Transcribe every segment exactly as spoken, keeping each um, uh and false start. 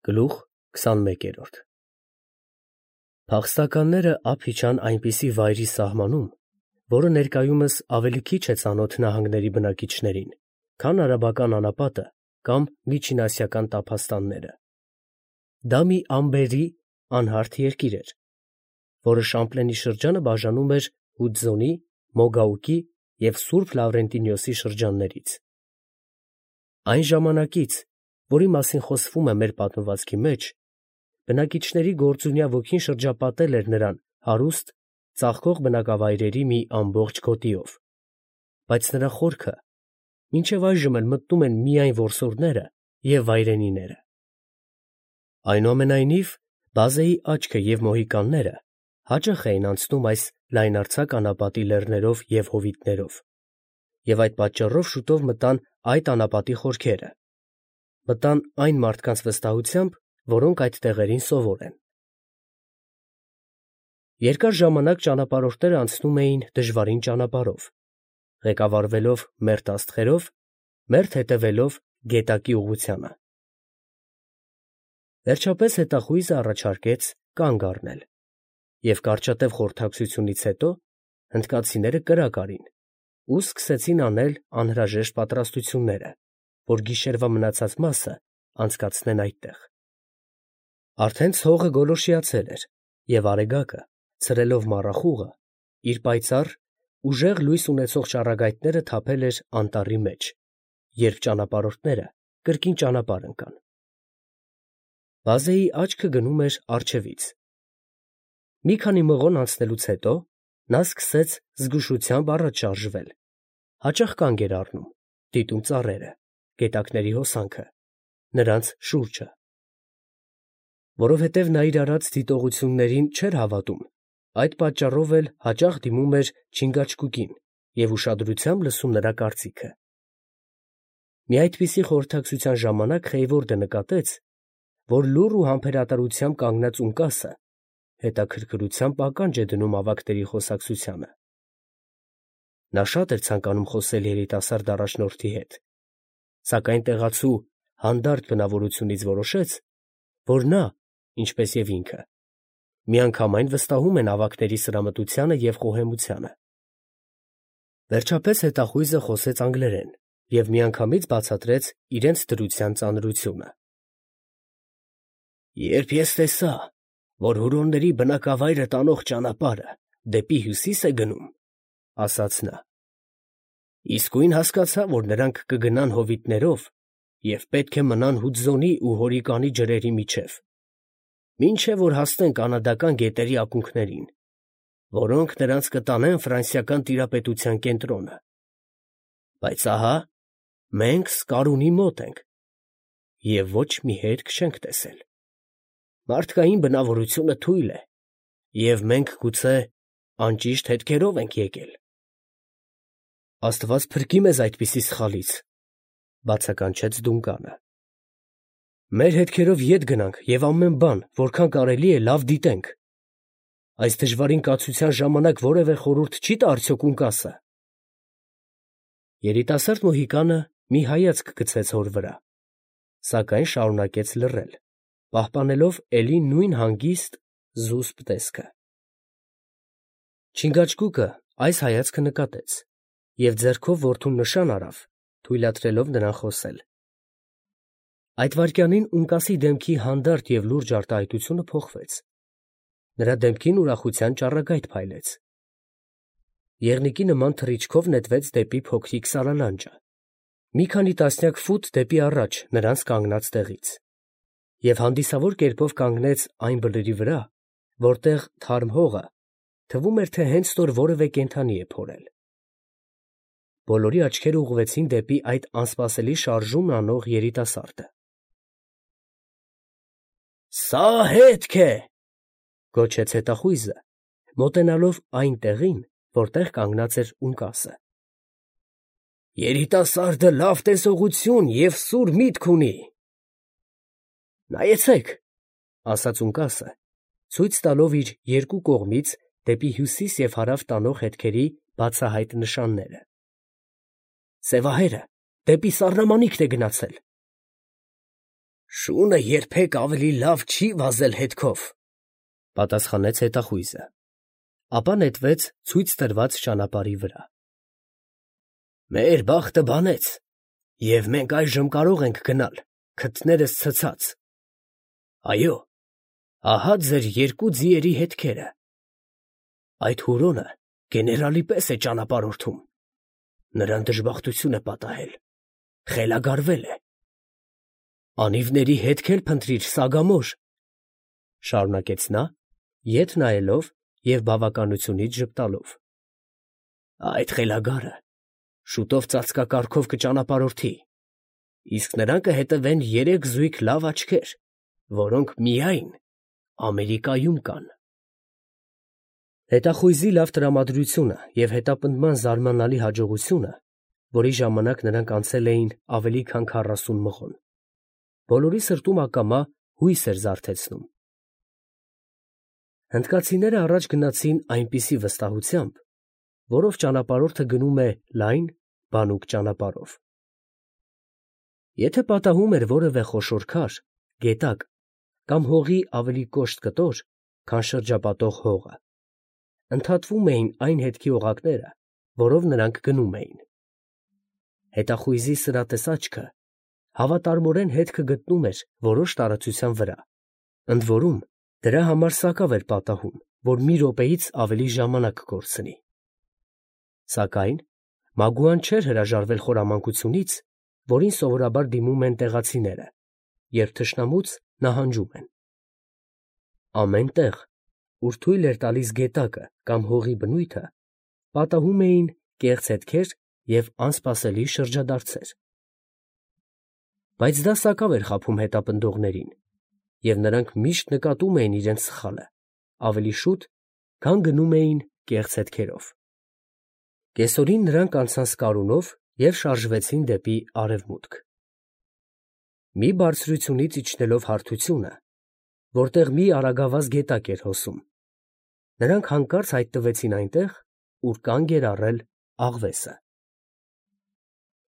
Գլուխ քսանմեկերորդ Փախստականները ափ իջան այնպիսի վայրի սահմանում, որը ներկայումս ավելի քիչ է ծանոթ նահանգների բնակիչներին, քան արաբական անապատը կամ միջինասիական տափաստանները. դա մի ամբերի անհարթ երկիր էր, որը Շամպլենի շրջանը բաժանում էր Հուդզոնի, Մոգաուկի և Սուրբ Լավրենտինիոսի շրջաններից։ Այն ժամանակից, որի մասին խոսվում է մեր պատմվածքի մեջ, բնակիչների գործունյա ոգին շրջապատել էր նրան հարուստ, ծաղկող բնակավայրերի մի ամբողջ գոտիով, բայց նրա խորքը մինչև այժմ էլ մտնում են միայն որսորդները և վայրենիները։ Այնուամենայնիվ, Բազեի աչքը և մոհիկանները հաճախ էին անցնում այս լայնարձակ անապատի լեռներով և հովիտներով, և այդ պատճառով շուտով մտան այդ անապատի խորքերը, մտան այն մարդկանց վստահությամբ, որոնք այդ տեղերին սովոր են։ Երկար ժամանակ ճանապարհորդները անցնում էին դժվարին ճանապարհով, ղեկավարվելով մերթ աստղերով, մերթ հետևելով գետակի ուղղությանը։ Վերջապես հետախույզը առաջարկեց կանգ առնել, և կարճատև խորհրդակցությունից հետո հնդկացիները կրակ արին ու սկսեցին անել անհրաժեշտ պատրաստությունները, որ գիշերվա մնացած մասը անցկացնեն այդտեղ։ Արդեն ցողը գոլորշիացել էր, և արեգակը, ցրելով մառախուղը, իր պայծառ, ուժեղ լույս ունեցող ճառագայթները թափել էր անտառի մեջ, երբ ճանապարհորդները կրկին ճանապարհ ընկան։ Բազեի աչքը գնում էր առջևից։ Մի քանի մղոն անցնելուց հետո նա սկսեց զգուշությամբ առաջ շարժվել, հաճախ կանգ էր առնում, դիտում ծառերը, գետակների հոսանքը, նրանց շուրջը։ Որովհետև նա իր արած դիտողություններին չէր հավատում, այդ պատճառով էլ հաճախ դիմում էր Չինգաչգուկին և ուշադրությամբ լսում նրա կարծիքը։ Մի այդպիսի խորհրդակցության ժամանակ Խեյվորդը նկատեց, որ լուռ ու համբերատարությամբ կանգնած ունկասը հետաքրքրությամբ ականջ է դնում ավագների խոսակցությանը։ Նա շատ էր ցանկանում խոսել երիտասարդ առաջնորդի հետ, սակայն տեղացու հանդարտ բնավորությունից որոշեց, որ նա, ինչպես և ինքը, միանգամայն վստահում են ավագների սրամտությանը և խոհեմությանը։ Վերջապես հետախույզը խոսեց անգլերեն և միանգամից բացատրեց իրենց դրության ծանրությունը։ «Երբ ես տեսա, որ հուրոնների բնակավայրը տանող ճանապարհը դեպի հյուսիս է գնում, ֊ ասաց նա, ֊ իսկույն հասկացա, որ նրանք կգնան հովիտներով և պետք է մնան Հուդզոնի ու Հորիկանի ջրերի միջև, մինչև որ հասնեն կանադական գետերի ակունքներին, որոնք նրանց կտանեն ֆրանսիական տիրապետության կենտրոնը։ Բայց ահա մենք Սկարունի մոտ ենք և ոչ մի հետք չենք տեսել։ Մարդկային բնավորությունը թույլ է, և մենք գուցե անճիշտ հետքերով ենք եկել»։ «Աստված փրկի մեզ այդպիսի սխալից, ֊ բացականչեց Դունկանը։ ֊ Մեր հետքերով ետ գնանք և ամեն բան, որքան կարելի է, լավ դիտենք։ Այս դժվարին կացության ժամանակ որևէ խորհուրդ չի՞ տա արդյոք ունկասը»։ Երիտասարդ մոհիկանը մի հայացք գցեց հոր վրա, սակայն շարունակեց լռել, պահպանելով էլի նույն հանգիստ, զուսպ տեսքը։ Չինգաչգուկը այս հայացքը նկատեց և ձեռքով որդուն նշան արավ, թույլատրելով նրան խոսել։ Այդ վայրկյանին ունկասի դեմքի հանդարտ և լուրջ արտահայտությունը փոխվեց. նրա դեմքին ուրախության ճառագայթ փայլեց։ Եղնիկի նման թռիչքով նետվեց դեպի փոքրիկ սարալանջը, մի քանի տասնյակ ֆուտ դեպի առաջ նրանց կանգնած տեղից, և հանդիսավոր կերպով կանգնեց այն բլրի վրա, որտեղ թարմ հողը թվում էր, թե հենց նոր որևէ կենդանի է փորել։ Բոլորի աչքերը ուղղվեցին դեպի այդ անսպասելի շարժումն անող երիտասարդը։ «Սա հետք է, ֊ գոչեց հետախույզը, մոտենալով այն տեղին, որտեղ կանգնած էր ունկասը։ ֊ Երիտասարդը լավ տեսողություն և սուր միտք ունի»։ «Նայեցեք, ֊ ասաց ունկասը, ցույց տալով իր երկու կողմից դեպի հյուսիս և հարավ տանող հետքերի բացահայտ նշանները. սևահերը դեպի սառնամանիքն է գնացել»։ Շունը երբեք ավելի լավ չի վազել հետքով, պատասխանեց հետախույզը, ապա նետվեց ցույց տրված ճանապարհի վրա։ Մեր բախտը բանեց, և մենք այժմ կարող ենք գնալ, քթներս ցցած։ Այո, ահա ձեր երկու ձիերի հետքերը։ Այդ հուրոնը գեներալի պես է ճանապարհորդում. նրան դժբախտություն է պատահել, խելագարվել է։ Անիվների հետք էլ փնտրիր, Սագամոր, շարունակեց նա, ետ նայելով և բավականությունից ժպտալով։ Այդ խելագարը շուտով ծածկակարգով կճանապարհորդի, իսկ նրան կհետևեն երեք զույգ լավ աչքեր, որոնք միայն Ամերիկայում կան։ Հետախույզի լավ տրամադրությունը և հետապնդման զարմանալի հաջողությունը, որի ժամանակ նրանք անցել էին ավելի քան քառասուն մղոն, բոլորի սրտում ակամա հույս էր զարթեցնում։ Հնդկացիները առաջ գնացին այնպիսի վստահությամբ, որով ճանապարհորդը գնում է լայն, բանուկ ճանապարհով։ Եթե պատահում էր որևէ խոշոր քար, գետակ կամ հողի ավելի կոշտ կտոր, քան շրջապատող հողը, ընդհատվում էին այն հետքի օղակները, որով նրանք գնում էին։ Հետախույզի սրատես աչքը հավատարմորեն հետքը գտնում էր որոշ տարածության վրա, ընդ որում դրա համար սակավ էր պատահում, որ մի րոպեից ավելի ժամանակ կորցնի։ Սակայն Մագուան չէր հրաժարվել խորամանկությունից, որին սովորաբար դիմում են տեղացիները, երբ թշնամուց նահանջում են։ Ամեն տեղ, ուր թույլ էր տալիս գետակը կամ հողի բնույթը, պատահում էին կեղծ հետքեր և անսպասելի շրջադարձեր։ Բայց դա սակավ էր խաբում հետապնդողներին, և նրանք միշտ նկատում էին իրենց սխալը ավելի շուտ, քան գնում էին կեղծ հետքերով։ Կեսօրին նրանք անցան Սկարունով և շարժվեցին դեպի արևմուտք։ Մի բարձրությունից իջնելով հարթությունը, որտեղ մի արագավազ գետակ էր հոսում, նրանք հանկարծ հայտնվեցին այնտեղ, ուր կանգ էր առել աղվեսը։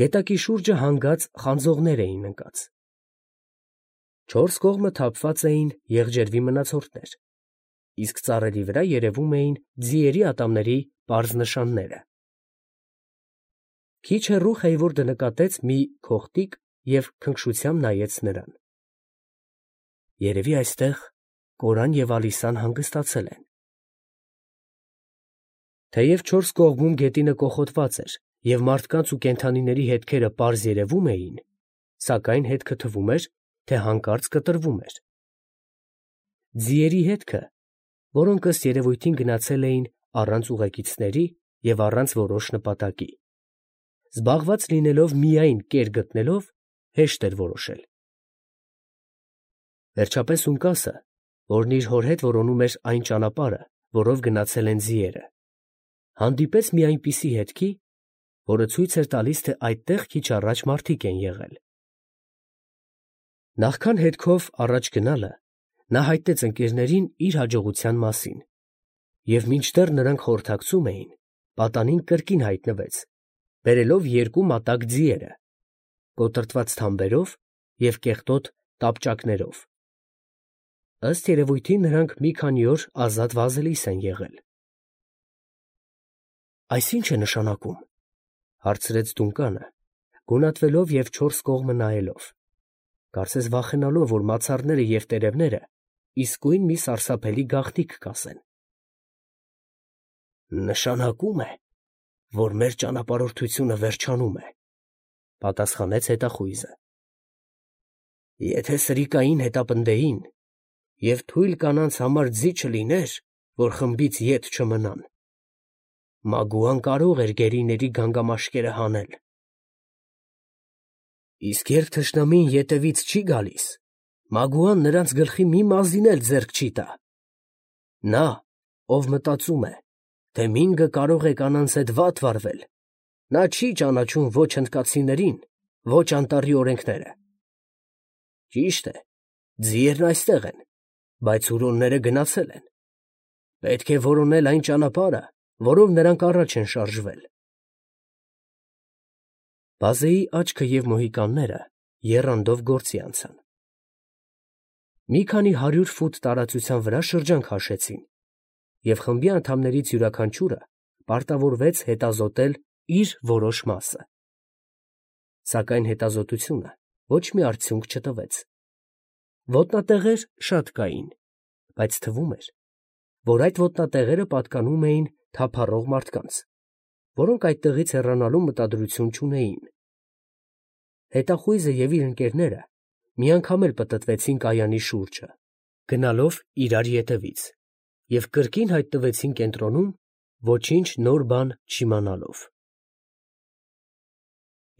Գետակի շուրջը հանգած խանձողներ էին ընկած։ Չորս կողմը թափված էին եղջերվի մնացորդներ, իսկ ծառերի վրա երևում էին ձիերի ատամների պարզ նշանները։ Քիչ հեռու Խեյվորդը նկատեց մի քողտիկ և քնքշությամբ նայեց նրան։ Երևի այստեղ Կորան և Ալիսան հանգստացել են։ Թեև չորս կողմում գետինը կոխոտված էր և մարդկանց ու կենդանիների հետքերը պարզ երևում էին, սակայն հետքը թվում էր, թե հանկարծ կտրվում էր։ Ձիերի հետքը, որոնք ըստ երևույթին գնացել էին առանց ուղեկիցների և առանց որոշ նպատակի, զբաղված լինելով միայն կեր գտնելով, հեշտ էր որոշել։ Վերջապես Ունկասը, որն իր հոր հետ որոնում էր այն ճանապարհը, որով գնացել են ձիերը, հանդիպեց մի այնպիսի հետքի, որը ցույց էր տալիս, թե այդտեղ քիչ առաջ մարդիկ են եղել։ Նախքան հետքով առաջ գնալը, նա հայտնեց ընկերներին իր հաջողության մասին, և մինչդեռ նրանք խորհրդակցում էին, պատանին կրկին հայտնվեց, բերելով երկու մատակ ձիերը, կոտրտված թամբերով և կեղտոտ տապճակներով։ Ըստ երևույթին նրանք մի քանի օր ազատ վազելիս են եղել։ Այս ի՞նչ է նշանակում, ֊ հարցրեց Դունկանը, գունատվելով և չորս կողմը նայելով, կարծես վախենալով, որ մացառները և տերևները իսկույն մի սարսափելի գաղտնիք կասեն։ Նշանակում է, որ մեր ճանապարհորդությունը վերջանում է, ֊ պատասխանեց հետախույզը։ Եթե սրիկային հետապնդեին և թույլ կանանց համար ձի չլիներ, որ խմբից ետ չմնան, Մագուան կարող էր գերիների գանգամաշկերը հանել։ Իսկ երբ թշնամին ետևից չի գալիս, Մագուան նրանց գլխի մի մազին էլ ձեռք չի տա։ Նա, ով մտածում է, թե Մինգը կարող է կանանց հետ վատ վարվել, նա չի ճանաչում ոչ հնդկացիներին, ոչ անտառի օրենքները։ Ճիշտ է, ձիերն այստեղ են, բայց հուրոնները գնացել են։ Պետք է որոնել այն ճանապարհը, որով նրանք առաջ են շարժվել։ Բազեի աչքը և մոհիկանները եռանդով գործի անցան։ Մի քանի հարյուր ֆուտ տարածության վրա շրջան քաշեցին, և խմբի անդամներից յուրաքանչյուրը պարտավորվեց հետազոտել իր որոշ մասը։ Սակայն հետազոտությունը ոչ մի արդյունք չտվեց։ Ոտնատեղեր շատ կային, բայց թվում էր, որ այդ ոտնատեղերը պատկանում էին թափառող մարդկանց, որոնք այդտեղից հեռանալու մտադրություն չունեին։ Հետախույզը և իր ընկերները մի անգամ էլ պտտվեցին կայանի շուրջը, գնալով իրար ետևից, և կրկին հայտնվեցին կենտրոնում, ոչինչ նոր բան չիմանալով։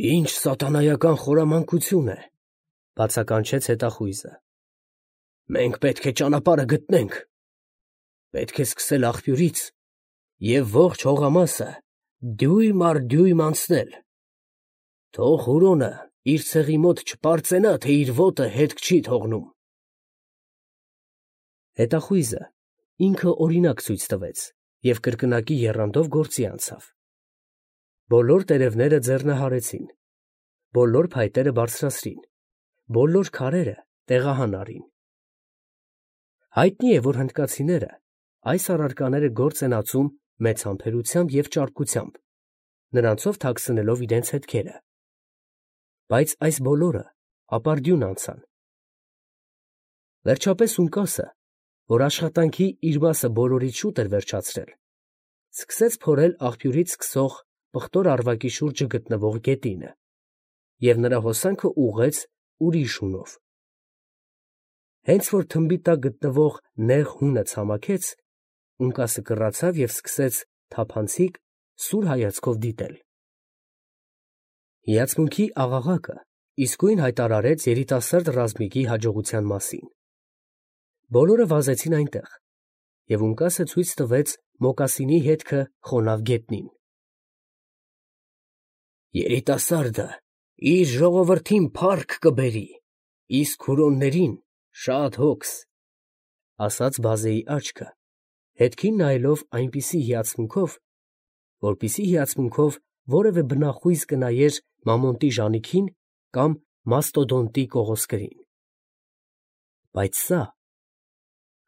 «Ի՜նչ սատանայական խորամանկություն է, ֊ բացականչեց հետախույզը։ ֊ Մենք պետք է ճանապարհը գտնենք. պետք է սկսել աղբյուրից և ողջ հողամասը դյույմ առ դյույմ անցնել. թող Հուրոնը իր ցեղի մոտ չպարծենա, թե իր ոտը հետք չի թողնում»։ Հետախույզը ինքը օրինակ ցույց տվեց և կրկնակի եռանդով գործի անցավ։ Բոլոր տերևները ձեռնահարեցին, բոլոր փայտերը բարձրացրին, բոլոր քարերը տեղահան առին։ Հայտնի է, որ հնդկացիները այս առարկաները գործ են ածում մեծ համբերությամբ և ճարպկությամբ, նրանցով թաքցնելով իրենց հետքերը։ Բայց այս բոլորը ապարդյուն անցան։ Վերջապես Ունկասը, որ աշխատանքի իր մասը բոլորից շուտ էր վերջացրել, սկսեց փորել աղբյուրից սկսող պղտոր առվակի շուրջը գտնվող գետինը և նրա հոսանքը ուղղեց Ուրիշունով։ Հենց որ թմբի տակ գտնվող նեղ հունը ցամաքեց, Ունկասը կռացավ և սկսեց թափանցիկ, սուր հայացքով դիտել։ Հիացմունքի աղաղակը իսկույն հայտարարեց երիտասարդ ռազմիկի հաջողության մասին։ Բոլորը վազեցին այնտեղ, և Ունկասը ցույց տվեց մոկասինի հետքը խոնավ գետնին։ «Երիտասարդը իր ժողովրդին փառք կբերի, իսկ հուրոններին շատ հոգս», ֊ ասաց բազեի աչքը, հետքին նայելով այնպիսի հիացմունքով, որպիսի հիացմունքով որևէ բնախույզ կնայեր մամոնտի ժանիքին կամ մաստոդոնտի կողոսկրին։ Բայց սա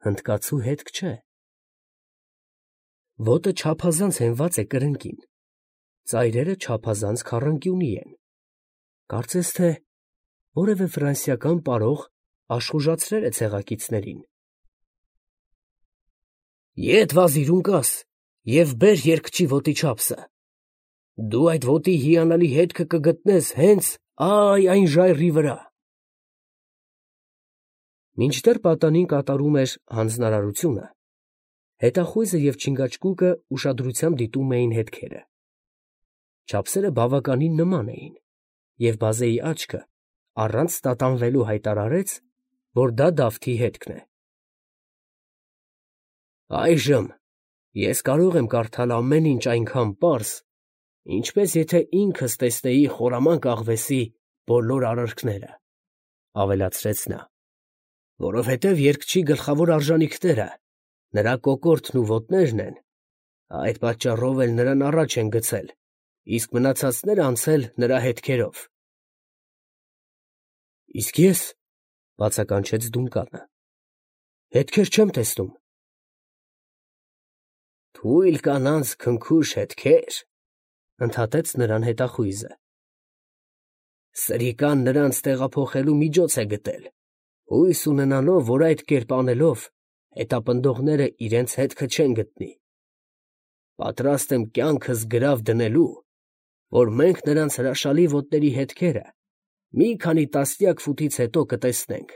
հնդկացու հետք չէ։ Ոտը չափազանց հենված է կրնկին, ծայրերը չափազանց քառանկյունի են, կարծես թե որևէ ֆրանսիական պարող աշխուժացրել է ցեղակիցներին։ «Ետ վազիր, Ունկաս, և բեր երգչի ոտի չափսը. դու այդ ոտի հիանալի հետքը կգտնես հենց ա՛յ այն ժայռի վրա»։ Մինչդեռ պատանին կատարում էր հանձնարարությունը, հետախույզը և չինգաչգուկը ուշադրությամբ դիտում էին հետքերը։ Չափսերը բավականին նման էին, և բազեի աչքը առանց տատանվելու հայտարարեց, որ դա Դավթի հետքն է։ «Այժմ ես կարող եմ կարդալ ամեն ինչ այնքան պարզ, ինչպես եթե ինքս տեսնեի խորամանկ աղվեսի բոլոր արարքները», ֊ ավելացրեց նա, ֊ որովհետև երգչի գլխավոր արժանիքները նրա կոկորդն ու ոտներն են, այդ պատճառով էլ նրան առաջ են գցել, իսկ մնացածները անցել նրա հետքերով։ ֊ Իսկ ես, ֊ բացականչեց Դունկանը, ֊ հետքեր չեմ տեսնում։ ֊ Թույլ կանանց քնքուշ հետքե՞ր, ֊ ընդհատեց նրան հետախույզը։ ֊ Սրիկան նրանց տեղափոխելու միջոց է գտել, հույս ունենալով, որ այդ կերպ անելով հետապնդողները իրենց հետքը չեն գտնի։ Պատրաստ եմ կյանքս գրավ դնելու, որ մենք նրանց հրաշալի ոտների հետքերը մի քանի տասնյակ ֆուտից հետո կտեսնենք։